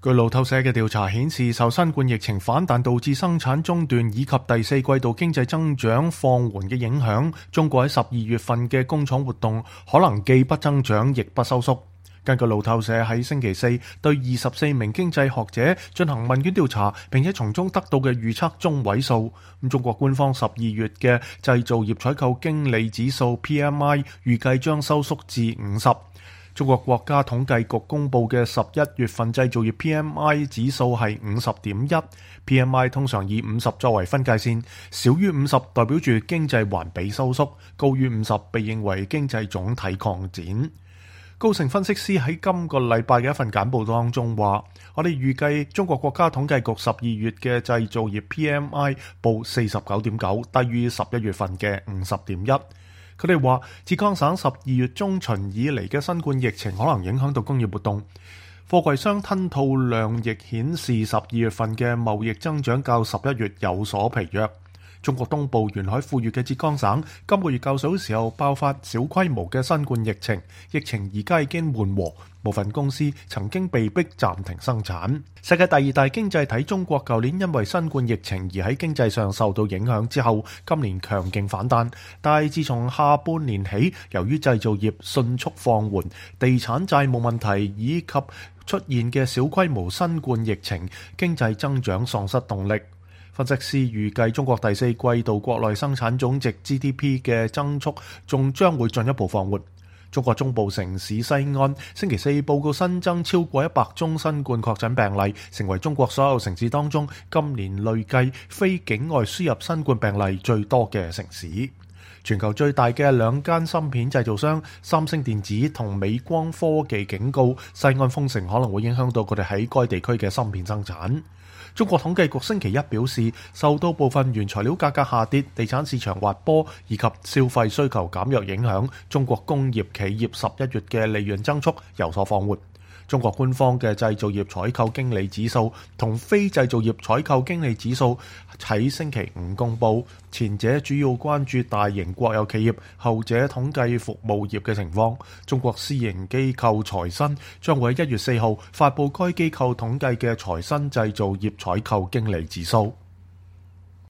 據路透社嘅調查顯示，受新冠疫情反彈導致生產中斷以及第四季度經濟增長放緩嘅影響，中國喺12月份嘅工廠活動可能既不增長亦不收縮。根據路透社喺星期四對24名經濟學者進行問卷調查，並且從中得到嘅預測中位數，中國官方12月嘅製造業採購經理指數 PMI 預計將收縮至50。中國國家統計局公佈嘅11月份製造業 PMI 指數係50.1。PMI 通常以50作為分界線，少於50代表住經濟環比收縮，高於50被認為經濟總體擴展。高盛分析師喺今個禮拜嘅一份簡報當中話，我哋預計中國國家統計局12月嘅製造業 PMI 報49.9，低於11月份嘅50.1。佢哋話，浙江省12月中旬以嚟嘅新冠疫情可能影響到工業活動。貨櫃商吞吐量亦顯示12月份嘅貿易增長較11月有所疲弱。中國東部沿海富裕嘅浙江省今個月較早時候爆發小規模嘅新冠疫情，疫情而家已經緩和，部分公司曾經被迫暫停生產。世界第二大經濟體中國舊年因為新冠疫情而喺經濟上受到影響之後，今年強勁反彈，但係自從下半年起，由於製造業迅速放緩、地產債務問題以及出現嘅小規模新冠疫情，經濟增長喪失動力。分析師預計中國第四季度國內生產總值 GDP 嘅增速仲將會進一步放緩。中國中部城市西安星期四報告新增超過100宗新冠確診病例，成為中國所有城市當中今年累計非境外輸入新冠病例最多嘅城市。全球最大嘅兩間芯片製造商三星電子同美光科技警告，西安封城可能會影響到佢哋喺該地區嘅芯片生產。中國統計局星期一表示，受到部分原材料價格下跌、地產市場滑坡以及消費需求減弱影響，中國工業企業11月嘅利潤增速有所放緩。中國官方嘅製造業採購經理指數同非製造業採購經理指數喺星期五公佈，前者主要關注大型國有企業，後者統計服務業嘅情況。中國私營機構財新將會喺1月4號發佈該機構統計嘅財新製造業採購經理指數。